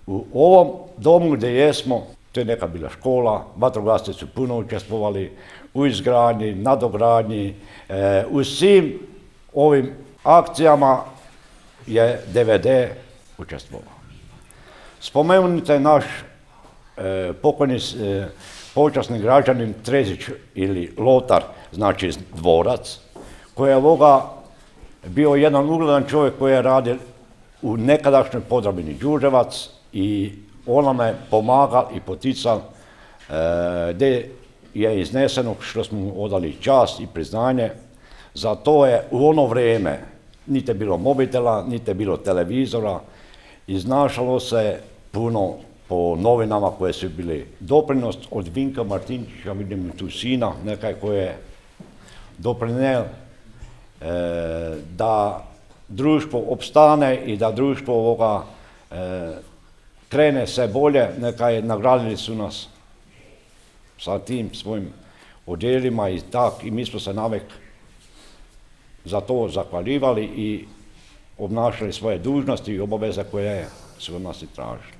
U ovom domu gdje jesmo, to je neka bila škola, vatrogasci su puno učestvovali u izgradnji, nadogradnji, u svim ovim akcijama je DVD učestvovao. Spomenut je naš pokojni počasni građanin Trezić ili Lotar, znači dvorac, koji je bio jedan ugledan čovjek koji je radio u nekadašnjoj Podravini Đurđevac i on nam je pomagal i potical gdje je izneseno što smo mu odali čast i priznanje. Za to je u ono vrijeme niti je bilo mobitela, niti je bilo televizora, iznašalo se puno po novinama koje su bili doprinos od Vinka Martinčića, vidim tu sina, nekaj koji je doprinel da društvo opstane i da društvo krene sve bolje, nekaj nagradili su nas sa tim svojim odjelima i mi smo se navek za to zahvaljivali i obnašali svoje dužnosti i obaveze koje su od nas i tražili.